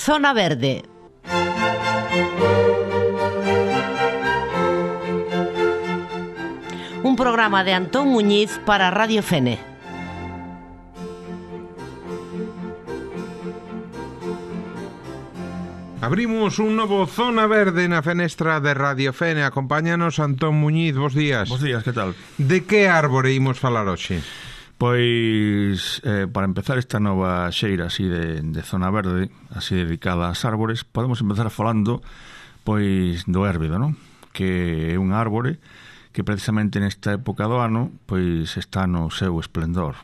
Zona Verde. Un programa de Antón Muñiz para Radio Fene. Abrimos un novo Zona Verde na fenestra de Radio Fene. Acompáñanos Antón Muñiz, bos días. Bos días, que tal? De que árbore imos falar hoxe? Pois, para empezar esta nova xeira así de Zona Verde, así dedicada ás árbores, podemos empezar falando pois do érbido, non? Que é un árbore que precisamente nesta época do ano pois está no seu esplendor.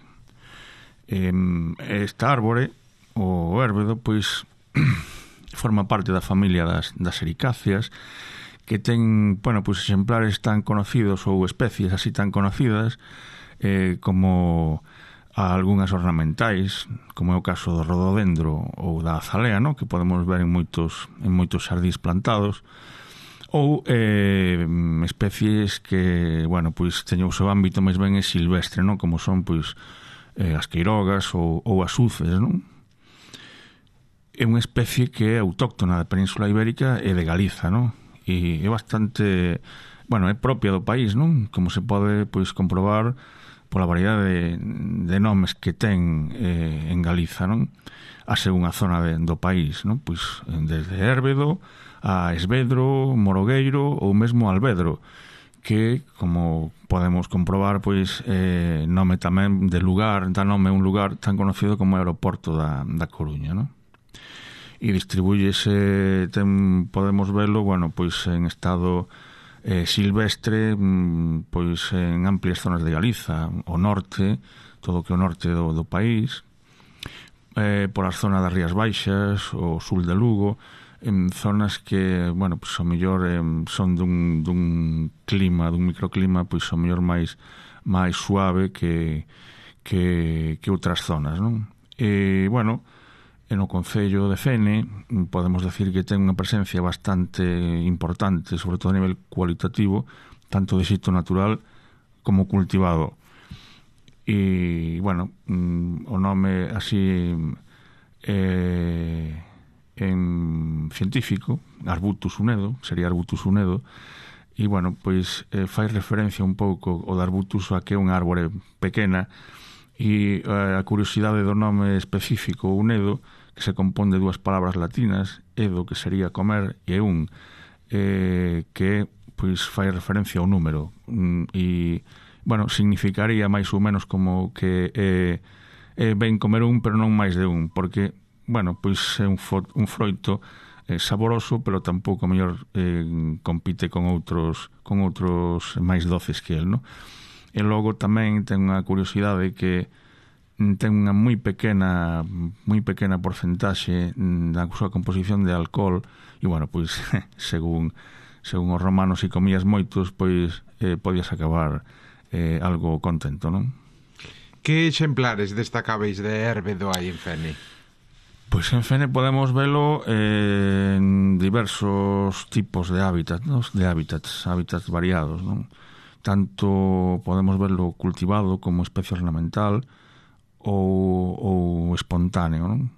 Esta árbore, o érbido, pois forma parte da familia das ericáceas, que ten, bueno, pois exemplares tan conocidos ou especies así tan conocidas como algunhas ornamentais, como é o caso do rododendro ou da azalea, no? Que podemos ver en moitos xardíns plantados, ou especies que, bueno, pois teñen o seu ámbito máis ben silvestre, no? Como son pois as queirogas ou as uces, non? É unha especie que é autóctona da Península Ibérica e de Galiza, non? E é bastante, bueno, é propia do país, non? Como se pode pois comprobar pola variedade de nomes que ten en Galiza, non? A según a zona do país, non? Pois desde Érbedo a Esvedro, Morogueiro ou mesmo Alvedro, que, como podemos comprobar, pois nome tamén de lugar, dá nome a un lugar tan conocido como o aeroporto da Coruña, non? E distribúyese, podemos velo, bueno, pois en estado silvestre, pois en amplias zonas de Galiza, o norte, todo o que o norte do país, por as zonas das Rías Baixas, o sul de Lugo, en zonas que, bueno, pois ao mellor son dun clima, dun microclima, pois ao mellor máis suave que outras zonas, non? E, bueno, no concello de Fene podemos decir que ten unha presencia bastante importante, sobre todo a nivel cualitativo, tanto de xeito natural como cultivado. E, bueno, o nome así en científico, Arbutus unedo, sería Arbutus unedo, e, bueno, pois fai referencia un pouco o de Arbutus a que é unha árbore pequena, e a curiosidade do nome específico unedo, que se compón de dúas palabras latinas, edo, que sería comer, e un, que pois fai referencia ao número, e, bueno, significaría máis ou menos como que ben comer un, pero non máis de un, porque, bueno, pois é un froito saboroso, pero tampouco mellor compite con outros máis doces que el, no? E logo tamén ten unha curiosidade que ten unha moi pequena porcentaxe da súa composición de alcohol, e, bueno, pois según os romanos, se comías moitos, pois podías acabar algo contento, non? Que exemplares destacáveis de érbedo hai en Fene? Pois en Fene podemos velo en diversos tipos de hábitats, non? Hábitats variados, non? Tanto podemos verlo cultivado como especie ornamental ou espontáneo, non?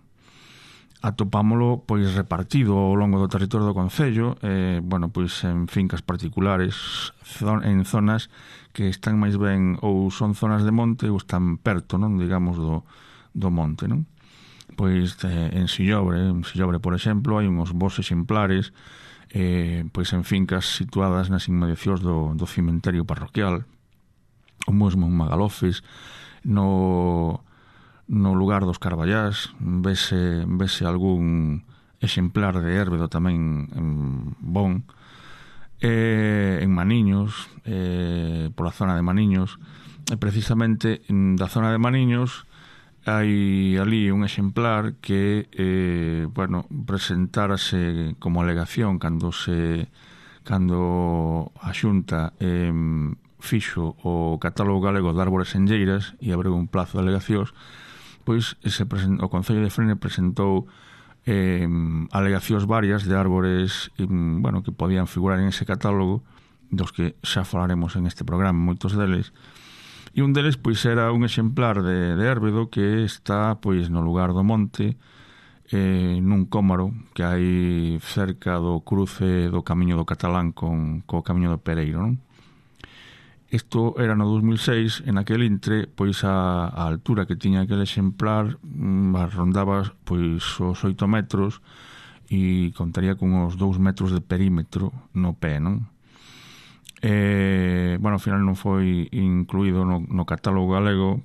Atopámolo pois repartido ao longo do territorio do concello, bueno, pois en fincas particulares, en zonas que están máis ben ou son zonas de monte ou están perto, non, digamos, do monte, non? Pois en Sillobre, por exemplo, hai uns bos exemplares pois en fincas situadas nas inmediacións do cemiterio parroquial, ou mesmo en Magalofes, no lugar dos Carballás vese algún exemplar de érbedo tamén bon, en Maniños, pola zona de Maniños, e precisamente da zona de Maniños hai ali un exemplar que bueno, presentárase como alegación cando a Xunta fixo o catálogo galego de árbores enlleiras e abriu un plazo de alegacións, pois o Concello de Fene presentou alegacións varias de árbores, bueno, que podían figurar en ese catálogo, dos que xa falaremos en este programa, moitos deles. E un deles pois era un exemplar de érbedo que está pois no lugar do monte, nun cómaro que hai cerca do cruce do Camiño do Catalán co Camiño do Pereiro, non? Isto era no 2006, en aquel intre, pois a altura que tiña aquel exemplar rondaba pois os 8 metros e contaría con uns 2 metros de perímetro no pé, non? Bueno, ao final non foi incluído no catálogo galego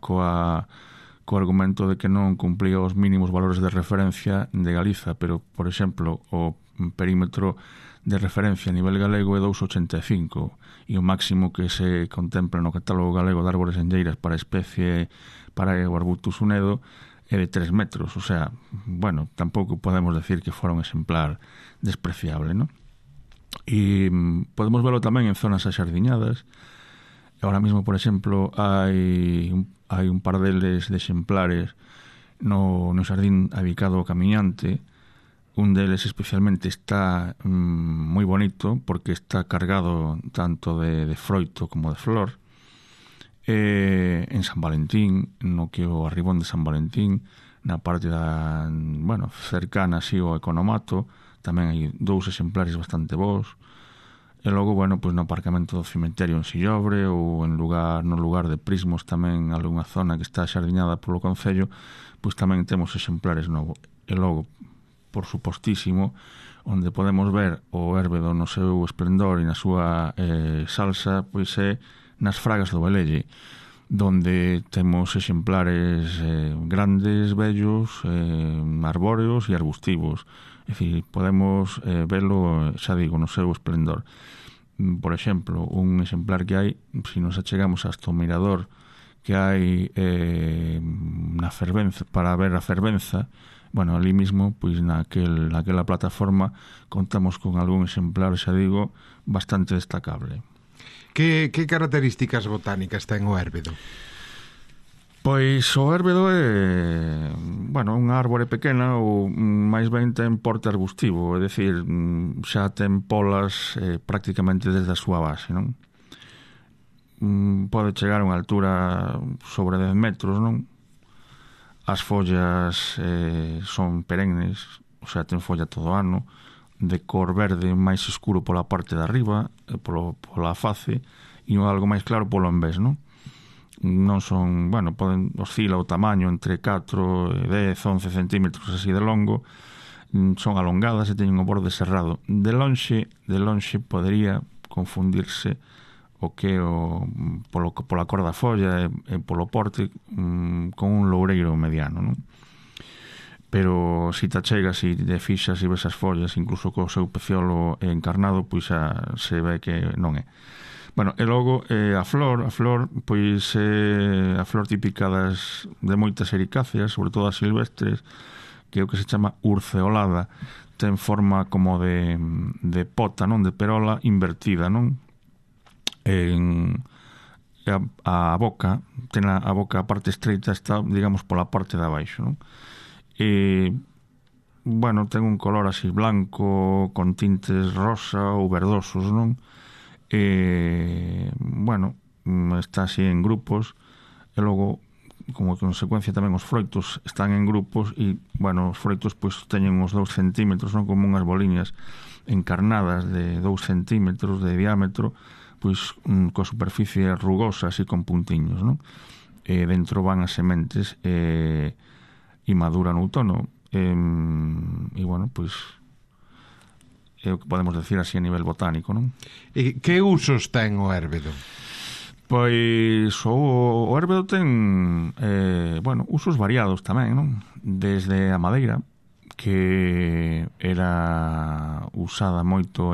co argumento de que non cumplía os mínimos valores de referencia de Galiza, pero, por exemplo, o perímetro de referencia a nivel galego é 2,85 e o máximo que se contempla no catálogo galego de árbores enlleiras para a especie para o Arbutus unedo é de 3 metros, o sea, bueno, tampouco podemos decir que fora un exemplar despreciable, non? E podemos velo tamén en zonas axardiñadas. Ahora mismo, por exemplo, hai un par deles de exemplares no xardín adicado ao camiñante. Un deles especialmente está moi bonito porque está cargado tanto de froito como de flor. En San Valentín, no que o arribón de San Valentín, na parte cercana así ao economato, tamén hai 2 exemplares bastante bons. E logo, pois no aparcamento do cemiterio en Sillobre ou no lugar de Prismos tamén algunha zona que está xardiñada polo Concello, pois tamén temos exemplares novos. E logo, por supostísimo, onde podemos ver o érbedo no seu esplendor e na súa salsa, pois é nas Fragas do Velelle, donde temos exemplares grandes, bellos, arbóreos e arbustivos. É dicir, podemos velo, xa digo, no seu esplendor. Por exemplo, un exemplar que hai, se nos achegamos hasta o mirador que hai na Fervenza, para ver a Fervenza, bueno, ali mismo, pois naquela plataforma contamos con algún exemplar, xa digo, bastante destacable. Que características botánicas ten o érbedo? Pois o érbedo é, unha árbore pequena ou máis ben ten porte arbustivo, é dicir, xa ten polas prácticamente desde a súa base, non? Pode chegar a unha altura sobre 10 metros, non? As follas son perennes, o sea, ten folla todo o ano, de cor verde máis escuro pola parte de arriba, pola face, e algo máis claro polo envés, non? Non son, oscila o tamaño entre 4, 10, 11 centímetros así de longo, son alongadas e teñen o borde cerrado. De lonxe podería confundirse pola cor da folla e polo porte con un loureiro mediano, non? Pero se te achegas e te fixas e ves as follas, incluso co seu peciolo encarnado, pois xa se ve que non é. E logo a flor, pois é a flor típica de moitas ericáceas, sobre todo as silvestres, que é o que se chama urceolada, ten forma como de pota, non? De perola invertida, non? A boca, ten a boca, a parte estreita está, digamos, pola parte de abaixo, non? E, ten un color así blanco, con tintes rosa ou verdosos, non? Está así en grupos e logo, como consecuencia tamén os froitos están en grupos e, os froitos pois teñen uns 2 centímetros, non? Como unhas boliñas encarnadas de 2 centímetros de diámetro, pois coa superficie rugosa así con puntiños, non? E dentro van as sementes e maduran no outono e, pois é o que podemos decir así a nivel botánico, non? E que usos ten o érbedo? Pois o érbedo ten usos variados tamén, non? Desde a madeira, que era usada moito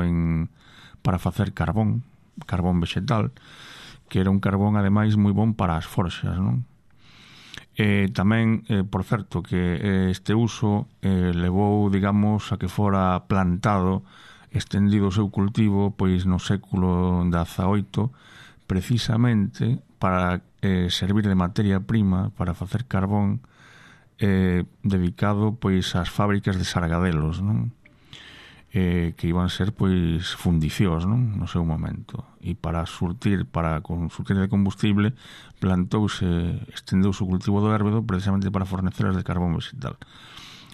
para facer carbón vegetal, que era un carbón ademais moi bon para as forxas, non? Tamén, por certo, que este uso levou, digamos, a que fora plantado, estendido o seu cultivo, pois no século XVIII, precisamente para servir de materia prima para facer carbón dedicado pois ás fábricas de sargadelos, non? Que iban ser pois fundicións, non? No seu momento, e para surtir de combustible estendeuse o cultivo do érbedo precisamente para fornecelas de carbón vegetal.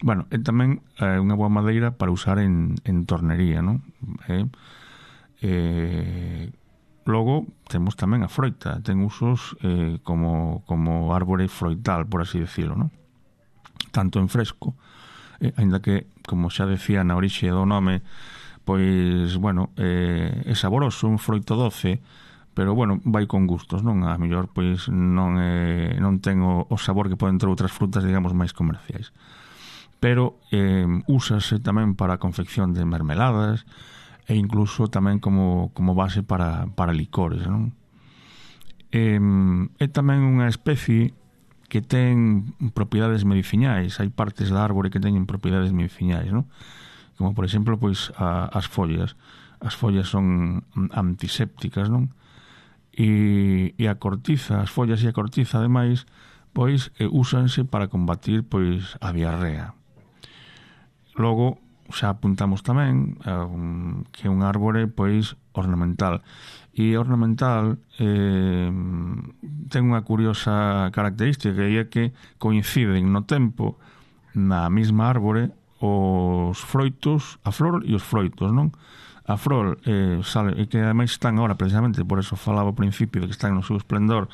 Bueno, é tamén unha boa madeira para usar en tornería, non? Logo, temos tamén a froita, ten usos como árbore froital, por así decirlo, non? Tanto en fresco, aínda que, como xa decía na orixe do nome, pois, bueno, é saboroso, un froito doce, pero, bueno, vai con gustos, non? A mellor, pois, non ten o sabor que poden ter outras frutas, digamos, máis comerciais. Pero úsase tamén para a confección de mermeladas e incluso tamén como base para licores, non? É tamén unha especie que ten propiedades medicinais. Hai partes da árbore que teñen propiedades medicinais, non? Como, por exemplo, pois as follas. As follas son antisépticas, non? E a cortiza, as follas e a cortiza, ademais, pois úsanse para combatir pois a diarrea. Logo, xa apuntamos tamén que é un árbore pois ornamental. E ornamental ten unha curiosa característica, que é que coinciden no tempo na mesma árbore os froitos, a flor e os froitos, non? A flor sale, e que ademais están agora, precisamente, por eso falaba ao principio de que están no seu esplendor,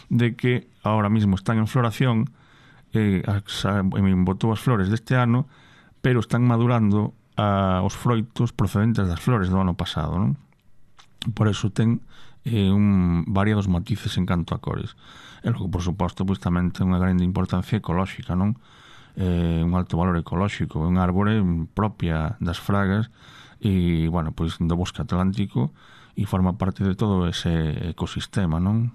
de que agora mesmo están en floración, botou as flores deste ano, pero están madurando os froitos procedentes das flores do ano pasado, non? Por eso ten variados matices en canto a cores. E logo, por suposto, pois tamén ten unha grande importancia ecolóxica, non? Un alto valor ecolóxico, un árbore propia das fragas e, bueno, pois do bosque atlántico, e forma parte de todo ese ecosistema, non?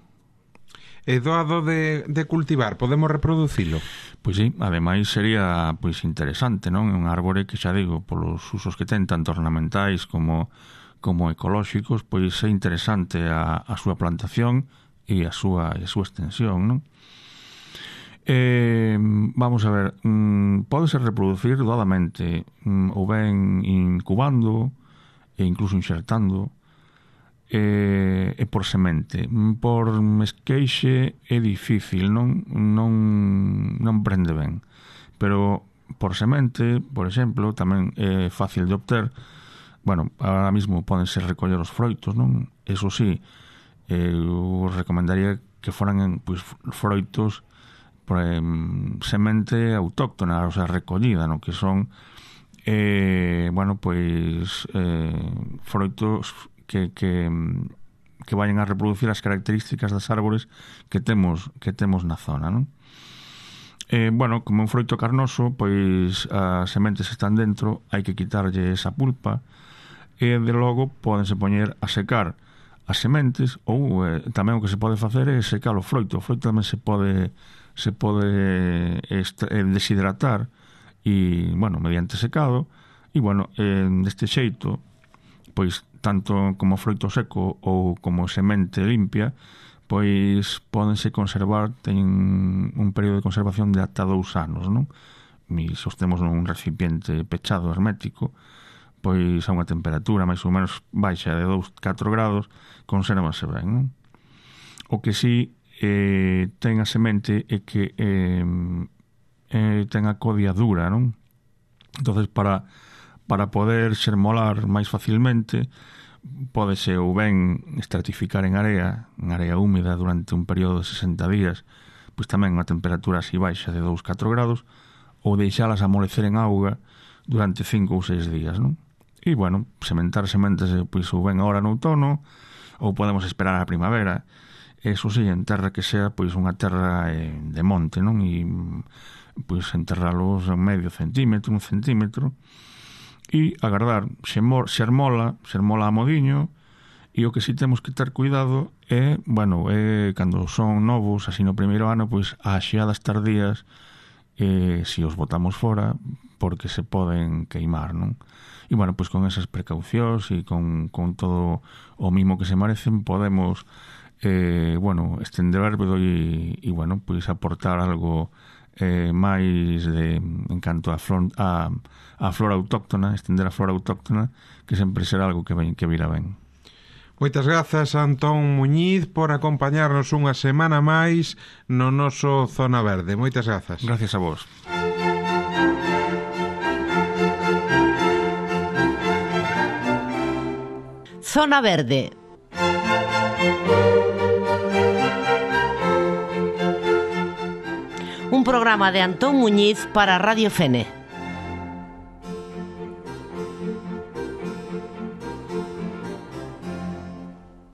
É doado de cultivar, podemos reproducilo? Pois sí, ademais sería pois interesante, non? É un árbore que, xa digo, polos usos que ten, tanto ornamentais como ecolóxicos, pois é interesante a súa plantación e a súa extensión, non? Vamos a ver, pódese reproducir doadamente, ou ben incubando e incluso insertando, e por semente. Por esqueixe é difícil, non prende ben, pero por semente, por exemplo, tamén é fácil de obter. Bueno, ahora mismo pódense recoller os froitos, non? Eso sí, eu recomendaría que foran pois, froitos por semente autóctona, o sea, recollida, non? Que son bueno, pois froitos que vayan a reproducir as características das árbores que temos na zona, non? Bueno, como un froito carnoso, pois as sementes están dentro, hai que quitarlle esa pulpa, e de logo pódense poñer a secar as sementes, ou tamén o que se pode facer é secar o froito. O froito tamén se pode deshidratar e, bueno, mediante secado, e, bueno, deste xeito, pois tanto como froito seco ou como semente limpia, pois pódense conservar, teñen un período de conservación de ata 2 anos, non? E se os temos nun recipiente pechado, hermético, pois a unha temperatura máis ou menos baixa de 2-4 grados, consérvase ben, non? O que si ten a semente é que ten a codia dura, non? Entonces, para poder xermolar máis facilmente, pódese ou ben estratificar en area húmeda durante un período de 60 días, pois tamén unha temperatura así baixa de 2-4 grados, ou deixalas amolecer en auga durante 5 ou 6 días, non? E, bueno, sementar sementes pois ou ben agora no outono, ou podemos esperar a primavera. Eso sí, en terra que sea pois unha terra de monte, non? E pois enterralos en medio centímetro, 1 centímetro, e agardar. Xermola a modiño, e o que si temos que ter cuidado é, bueno, cando son novos, así no primeiro ano, pois as xeadas tardías, se os botamos fora, porque se poden queimar, non? E, bueno, pois con esas precaucións e con todo o mimo que se merecen, podemos bueno, estender o árbore e, bueno, pois aportar algo máis en canto a flora autóctona, estender a flora autóctona, que sempre será algo que virá ben. Moitas grazas, Antón Muñiz, por acompañarnos unha semana máis no noso Zona Verde. Moitas grazas. Gracias a vos. Zona Verde. Un programa de Antón Muñiz para Radio Fene.